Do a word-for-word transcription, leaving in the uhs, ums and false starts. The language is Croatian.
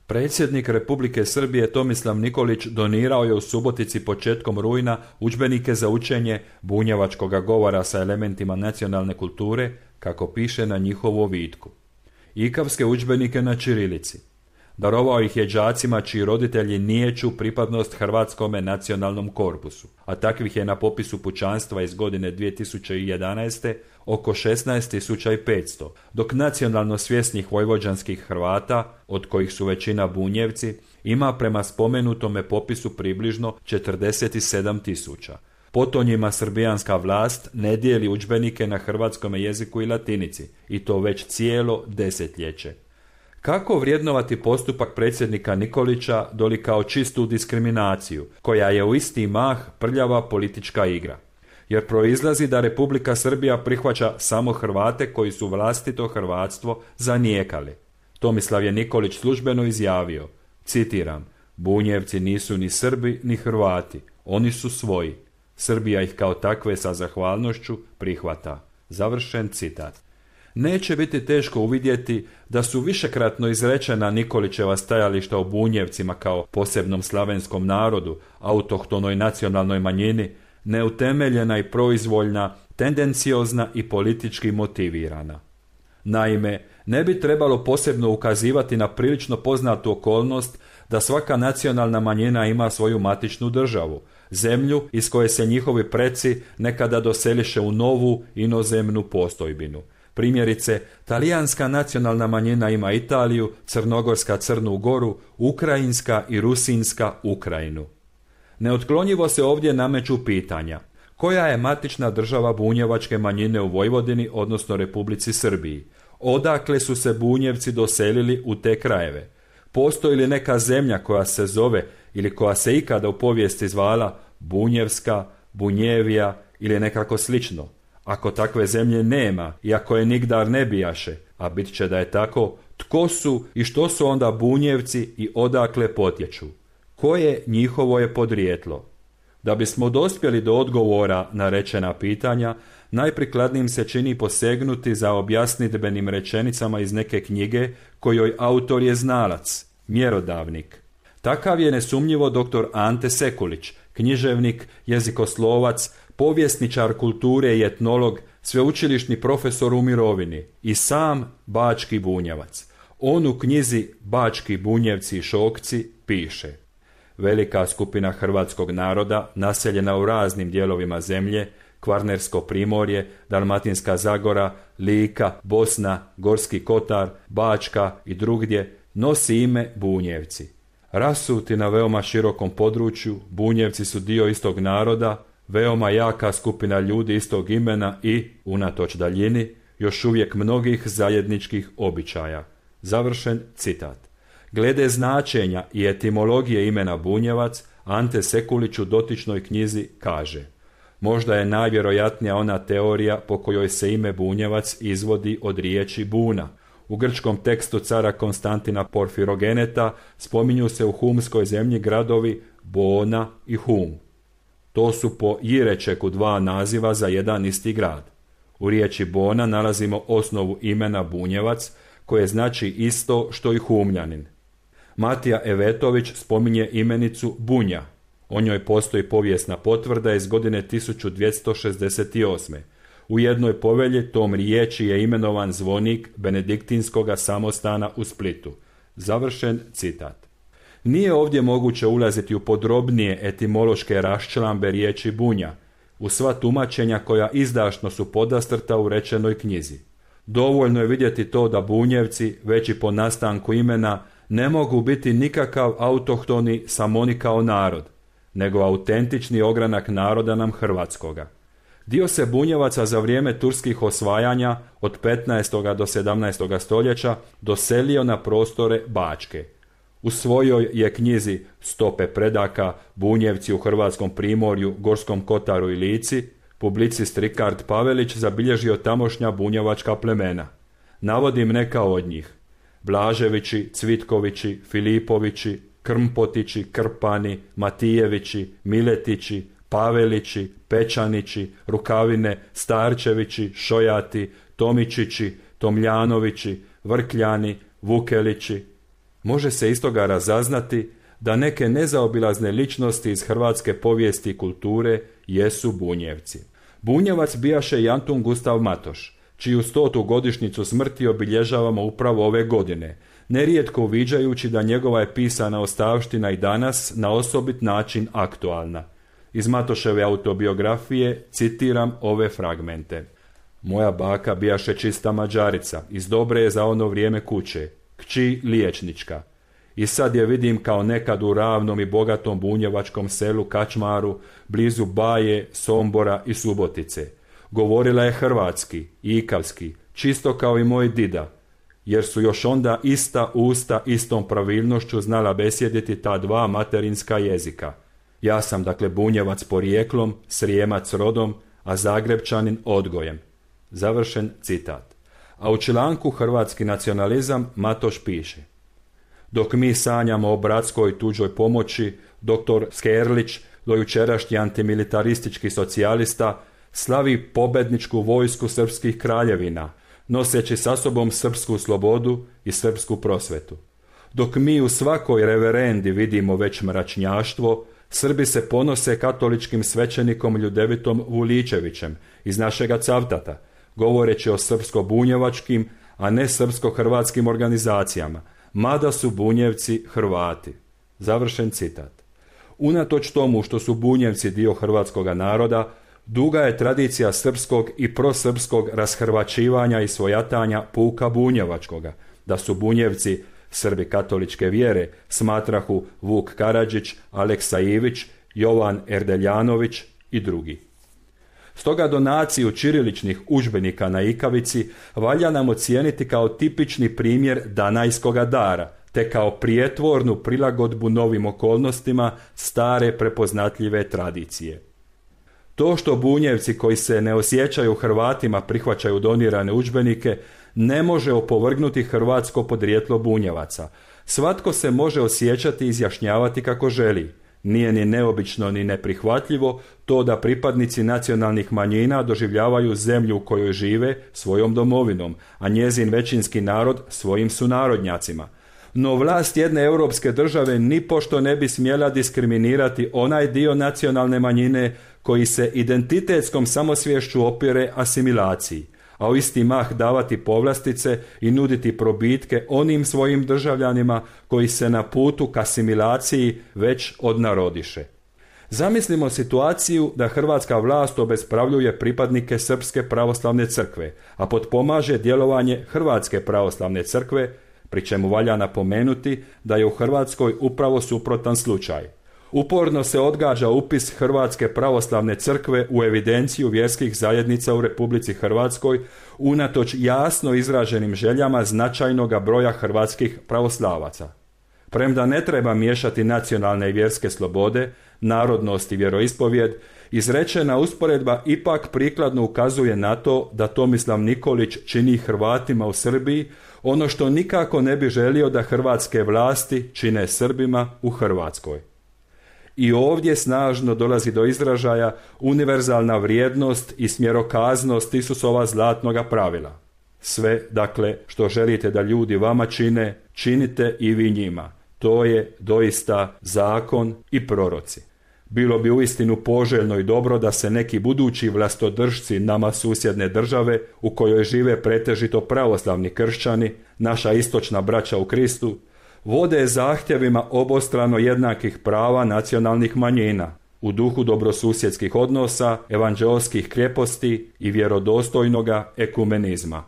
Predsjednik Republike Srbije Tomislav Nikolić donirao je u Subotici početkom rujna udžbenike za učenje bunjevačkoga govora sa elementima nacionalne kulture, kako piše na njihovu ovitku. Ikavske udžbenike na ćirilici. Darovao ih je đacima čiji roditelji niječu pripadnost hrvatskome nacionalnom korpusu, a takvih je na popisu pučanstva iz godine dvije tisuće jedanaeste oko šesnaest tisuća petsto, dok nacionalno svjesnih vojvođanskih Hrvata, od kojih su većina Bunjevci, ima prema spomenutome popisu približno četrdeset sedam tisuća. Potonjima srbijanska vlast ne dijeli udžbenike na hrvatskom jeziku i latinici, i to već cijelo desetljeće. Kako vrijednovati postupak predsjednika Nikolića doli kao čistu diskriminaciju, koja je u isti mah prljava politička igra? Jer proizlazi da Republika Srbija prihvaća samo Hrvate koji su vlastito hrvatstvo zanijekali. Tomislav je Nikolić službeno izjavio, citiram, Bunjevci nisu ni Srbi ni Hrvati, oni su svoji. Srbija ih kao takve sa zahvalnošću prihvata. Završen citat. Neće biti teško uvidjeti da su višekratno izrečena Nikolićeva stajališta o Bunjevcima kao posebnom slavenskom narodu, autohtonoj nacionalnoj manjini, neutemeljena i proizvoljna, tendenciozna i politički motivirana. Naime, ne bi trebalo posebno ukazivati na prilično poznatu okolnost da svaka nacionalna manjina ima svoju matičnu državu, zemlju iz koje se njihovi preci nekada doseliše u novu inozemnu postojbinu. Primjerice, talijanska nacionalna manjina ima Italiju, crnogorska Crnu Goru, ukrajinska i rusinska Ukrajinu. Neotklonjivo se ovdje nameću pitanja. Koja je matična država bunjevačke manjine u Vojvodini, odnosno Republici Srbiji? Odakle su se Bunjevci doselili u te krajeve? Postoji li neka zemlja koja se zove ili koja se ikada u povijesti zvala Bunjevska, Bunjevija ili nekako slično? Ako takve zemlje nema i ako je nigdar ne bijaše, a bit će da je tako, tko su i što su onda Bunjevci i odakle potječu? Koje njihovo je podrijetlo? Da bismo dospjeli do odgovora na rečena pitanja, najprikladnijim se čini posegnuti za objasnidbenim rečenicama iz neke knjige kojoj autor je znalac, mjerodavnik. Takav je nesumnjivo doktor Ante Sekulić, književnik, jezikoslovac, povjesničar kulture i etnolog, sveučilišni profesor u mirovini i sam bački bunjevac. On u knjizi Bački Bunjevci i Šokci piše: velika skupina hrvatskog naroda, naseljena u raznim dijelovima zemlje, Kvarnersko primorje, Dalmatinska Zagora, Lika, Bosna, Gorski Kotar, Bačka i drugdje, nosi ime Bunjevci. Rasuti na veoma širokom području, Bunjevci su dio istog naroda, veoma jaka skupina ljudi istog imena i, unatoč daljini, još uvijek mnogih zajedničkih običaja. Završen citat. Glede značenja i etimologije imena Bunjevac, Ante Sekulić u dotičnoj knjizi kaže: možda je najvjerojatnija ona teorija po kojoj se ime Bunjevac izvodi od riječi buna. U grčkom tekstu cara Konstantina Porfirogeneta spominju se u humskoj zemlji gradovi Bona i Hum. To su po Jirečeku dva naziva za jedan isti grad. U riječi Bona nalazimo osnovu imena Bunjevac, koje znači isto što i Humljanin. Matija Evetović spominje imenicu Bunja. O njoj postoji povijesna potvrda iz godine tisuću dvjesto šezdeset osme. U jednoj povelji tom riječi je imenovan zvonik benediktinskoga samostana u Splitu. Završen citat. Nije ovdje moguće ulaziti u podrobnije etimološke raščlambe riječi bunja, u sva tumačenja koja izdašno su podastrta u rečenoj knjizi. Dovoljno je vidjeti to da Bunjevci, već i po nastanku imena, ne mogu biti nikakav autohtoni samoni kao narod, nego autentični ogranak naroda nam hrvatskoga. Dio se Bunjevaca za vrijeme turskih osvajanja od petnaestog do sedamnaestog stoljeća doselio na prostore Bačke. U svojoj je knjizi Stope predaka, Bunjevci u Hrvatskom primorju, Gorskom Kotaru i Lici, publicist Rikard Pavelić zabilježio tamošnja bunjevačka plemena. Navodim neka od njih: Blaževići, Cvitkovići, Filipovići, Krmpotići, Krpani, Matijevići, Miletići, Pavelići, Pečanići, Rukavine, Starčevići, Šojati, Tomičići, Tomljanovići, Vrkljani, Vukelići. Može se iz toga razaznati da neke nezaobilazne ličnosti iz hrvatske povijesti i kulture jesu Bunjevci. Bunjevac bijaše i Antun Gustav Matoš, čiju stotu godišnjicu smrti obilježavamo upravo ove godine, nerijetko uviđajući da njegova je pisana ostavština i danas na osobit način aktualna. Iz Matoševe autobiografije citiram ove fragmente. Moja baka bijaše čista Mađarica, iz dobre je za ono vrijeme kuće, kći liječnička. I sad je vidim kao nekad u ravnom i bogatom bunjevačkom selu Kačmaru, blizu Baje, Sombora i Subotice. Govorila je hrvatski, ikavski, čisto kao i moj dida, jer su još onda ista usta istom pravilnošću znala besjediti ta dva materinska jezika. Ja sam dakle Bunjevac porijeklom, Srijemac rodom, a Zagrebčanin odgojem. Završen citat. A u članku Hrvatski nacionalizam Matoš piše: dok mi sanjamo o bratskoj tuđoj pomoći, doktor Skerlić, dojučerašnji antimilitaristički socijalista, slavi pobedničku vojsku srpskih kraljevina, noseći sa sobom srpsku slobodu i srpsku prosvetu. Dok mi u svakoj reverendi vidimo već mračnjaštvo, Srbi se ponose katoličkim svećenikom Ljudevitom Vuličevićem iz našega Cavtata, govoreći o srpsko-bunjevačkim, a ne srpsko-hrvatskim organizacijama, mada su Bunjevci Hrvati. Završen citat. Unatoč tomu što su Bunjevci dio hrvatskoga naroda, duga je tradicija srpskog i prosrpskog rashrvaćivanja i svojatanja puka bunjevačkoga, da su Bunjevci Srbi katoličke vjere, smatrahu Vuk Karadžić, Aleksa Ivić, Jovan Erdeljanović i drugi. Stoga donaciju ćiriličnih udžbenika na ikavici valja nam ocijeniti kao tipični primjer danajskoga dara, te kao prijetvornu prilagodbu novim okolnostima stare prepoznatljive tradicije. To što Bunjevci koji se ne osjećaju Hrvatima prihvaćaju donirane udžbenike ne može opovrgnuti hrvatsko podrijetlo Bunjevaca. Svatko se može osjećati i izjašnjavati kako želi. Nije ni neobično ni neprihvatljivo to da pripadnici nacionalnih manjina doživljavaju zemlju u kojoj žive svojom domovinom, a njezin većinski narod svojim sunarodnjacima. No vlast jedne europske države nipošto ne bi smjela diskriminirati onaj dio nacionalne manjine koji se identitetskom samosvješću opire asimilaciji, a u isti mah davati povlastice i nuditi probitke onim svojim državljanima koji se na putu k asimilaciji već odnarodiše. Zamislimo situaciju da hrvatska vlast obespravljuje pripadnike Srpske pravoslavne crkve, a potpomaže djelovanje Hrvatske pravoslavne crkve, pri čemu valja napomenuti da je u Hrvatskoj upravo suprotan slučaj. Uporno se odgađa upis Hrvatske pravoslavne crkve u evidenciju vjerskih zajednica u Republici Hrvatskoj unatoč jasno izraženim željama značajnoga broja hrvatskih pravoslavaca. Premda ne treba miješati nacionalne i vjerske slobode, narodnost i vjeroispovijed, izrečena usporedba ipak prikladno ukazuje na to da Tomislav Nikolić čini Hrvatima u Srbiji ono što nikako ne bi želio da hrvatske vlasti čine Srbima u Hrvatskoj. I ovdje snažno dolazi do izražaja univerzalna vrijednost i smjerokaznost Isusova zlatnoga pravila. Sve, dakle, što želite da ljudi vama čine, činite i vi njima. To je doista zakon i proroci. Bilo bi uistinu poželjno i dobro da se neki budući vlastodržci nama susjedne države, u kojoj žive pretežito pravoslavni kršćani, naša istočna braća u Kristu, vode zahtjevima obostrano jednakih prava nacionalnih manjina, u duhu dobrosusjedskih odnosa, evanđeoskih kreposti i vjerodostojnoga ekumenizma.